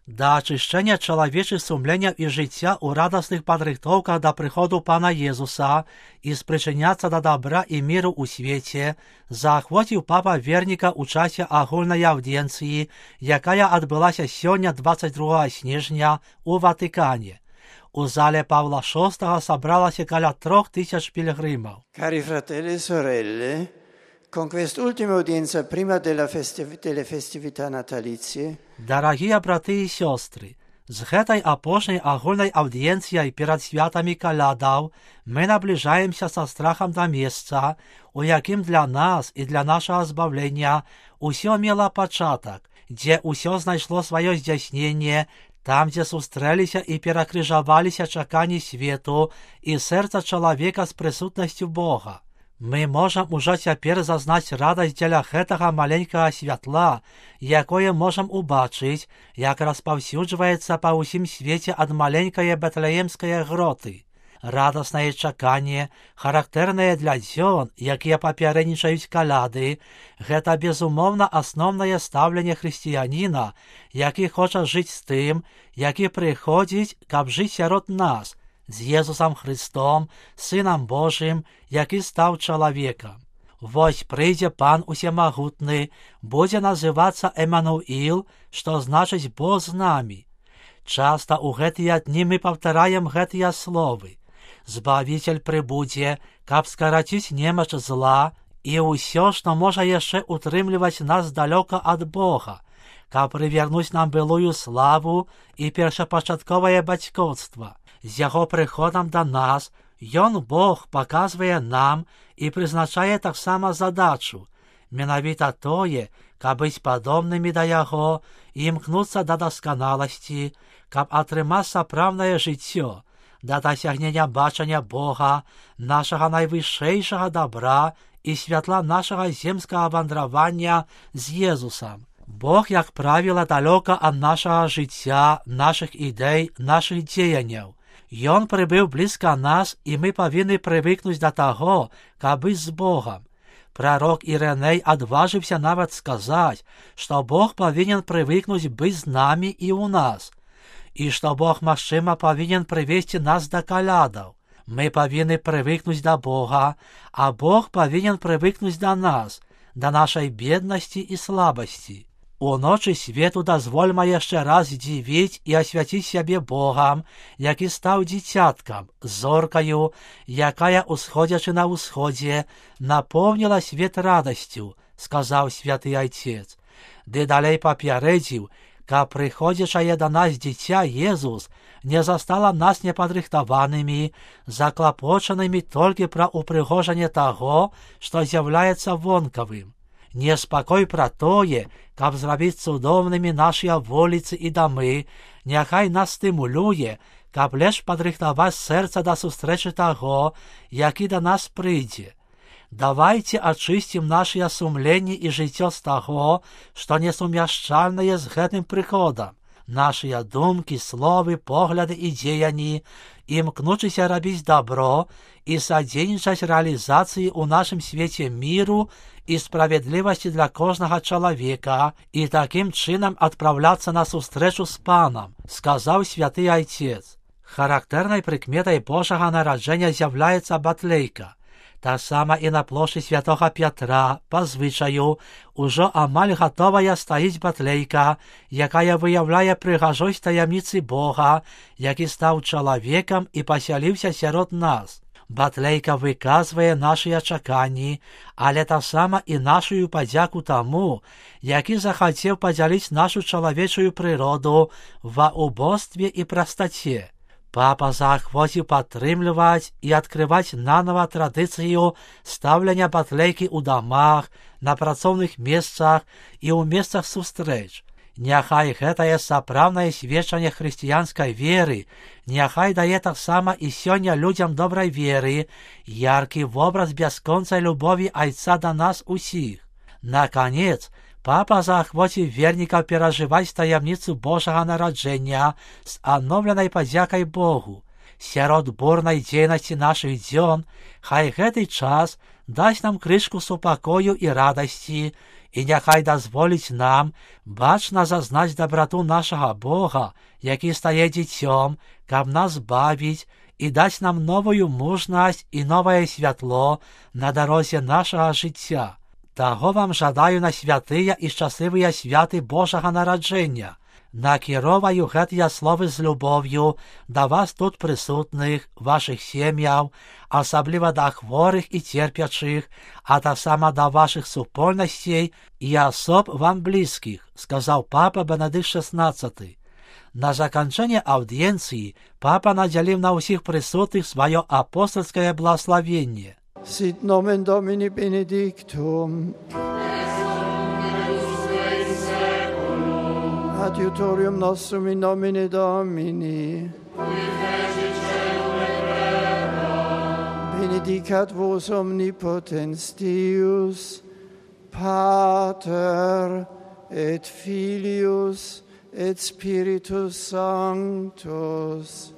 да ачышчэння чалавечых сумленняў і жыцця ў радасных падрыхтоўках да прыходу Пана Езуса і спрычыняцца да дабра і міру ў свеце, заахвоціў папа верніка ў часе агульнай аўдыенцыі, якая адбылася сёння 22 снежня у Ватыкане. У зале Павла VI сабралася каля 3000 пілігрымаў. Cari fratelli e sorelle, con quest'ultima udienza prima delle festività natalizie, Дарагія браты і сёстры, з гэтай апошняй агульнай аўдыенцыяй перад святамі калядаў мы набліжаемся са страхам да месца, у якім для нас і для нашага збавлення усё мела пачатак, дзе ўсё знайшло сваё здзяйсненне, там, дзе сустрэліся і перакрыжаваліся чаканні свету і сэрца чалавека з прысутнасцю Бога. Мы можам ужо цяпер зазнаць радасць дзеля гэтага маленькага святла, якое можам убачыць, як распаўсюджваецца па ўсім свеце ад маленькае бэтлеемскае гроты. Радаснае чаканне, характэрнае для дзён, якія папярэднічаюць каляды, гэта безумоўна асноўнае стаўленне хрысціяніна, які хоча жыць з тым, які прыходзіць, каб жыць сярод нас, з Езусам Христом, Сынам Божым, які стаў чалавекам. Вось прыйдзе Пан Усемагутны, будзе называцца Эмануіл, што значыць Бог з намі. Часта ў гэтыя дні мы паўтараем гэтыя словы. Збавіцель прыбудзе, каб скараціць немач зла і ўсё, што можа яшчэ утрымліваць нас далёка ад Бога, каб прывернуць нам былую славу і першапачатковае бацькоўства. З яго прыходам да нас ён, Бог, паказвае нам і прызначае таксама задачу, менавіта тое, каб быць падобнымі да яго і імкнуцца да дасканаласці, каб атрымаць сапраўднае жыццё, да дасягнення бачання Бога, нашага найвышэйшага дабра і святла нашага земскага вандравання з Езусам. Бог, як правіла, далёка ад нашага жыцця, нашых ідэй, нашых дзеянняў. Ён прыбыў блізка нас, і мы павінны прывыкнуць да таго, каб быць з Богам. Прарок Ірэней адважыўся нават сказаць, што Бог павінен прывыкнуць быць з намі і ў нас, і што Бог, магчыма, павінен прывесці нас да калядаў. Мы павінны прывыкнуць да Бога, а Бог павінен прывыкнуць да нас, да нашай беднасці і слабасці. У ночы свету дазвольма яшчэ раз здзівіць і асвяціць сябе Богам, які стаў дзіцяткам, зоркаю, якая, усходзячы на ўсходзе, напоўніла свет радасцю, сказаў святы Айцец. Ды далей папярэдзіў, каб прыходзячае да нас дзіця Езус не застала нас непадрыхтаванымі, заклапочанымі толькі пра упрыгожанне таго, што з'яўляецца вонкавым. Неспакой пра тое, каб зрабіць цудоўнымі нашыя вуліцы і дамы, няхай нас стымулюе, каб лепш падрыхтаваць сэрца да сустрэчы таго, які да нас прыйдзе. Давайце ачысцім нашыя сумленні і жыццё з таго, што несумяшчальнае з гэтым прыходам. Нашыя думкі, словы, погляды і дзеянні, імкнучыся рабіць дабро і садзейнічаць рэалізацыі ў нашым свеце міру і справядлівасці для кожнага чалавека і такім чынам адпраўляцца на сустрэчу з Панам, сказаў святы Айцец. Характэрнай прыкметай Божага нараджэння з'яўляецца батлейка. Таксама і на плошчы святога Пятра, па звычаю, ужо амаль гатовая стаіць батлейка, якая выяўляе прыгажосць таямніцы Бога, які стаў чалавекам і пасяліўся сярод нас. Батлейка выказвае нашыя чаканні, але таксама і нашую падзяку таму, які захацеў падзяліць нашу чалавечую прыроду ва убостве і прастаце. Папа заахвоціў падтрымліваць і адкрываць нанова традыцыю стаўлення батлейкі ў дамах, на працоўных месцах і ў месцах сустрэч. Няхай гэтае сапраўднае сведчанне хрысціянскай веры, няхай дае таксама і сёння людзям добрай веры яркі вобраз бясконцай любові Айца да нас усіх. Наканец, папа заахвоціў вернікаў перажываць таямніцу Божага нараджэння з адноўленай падзякай Богу. Сярод бурнай дзейнасці нашых дзён хай гэты час дасць нам крышку супакою і радасці І нехай дозволить нам бачно зазнать доброту нашего Бога, який стає дітьом, каб нас бавить і дать нам новую мужність і нове світло на дорозі нашого життя. Того вам жадаю на святые і щасливые святи Божого народження. Накероваю гэтыя словы з любов'ю до вас тут присутних, ваших сім'яв, особливо до хворих і терпячих, а так само до ваших супольностей і особ вам близьких, сказав папа Бенедикт XVI. На закінчення аудієнції папа наділив на усіх присутних своє апостольське благословення. Sit nomen Domini benedictum. Adiutorium nostrum in nomine Domini. Benedicat vos omnipotens Deus, Pater et Filius et Spiritus Sanctus.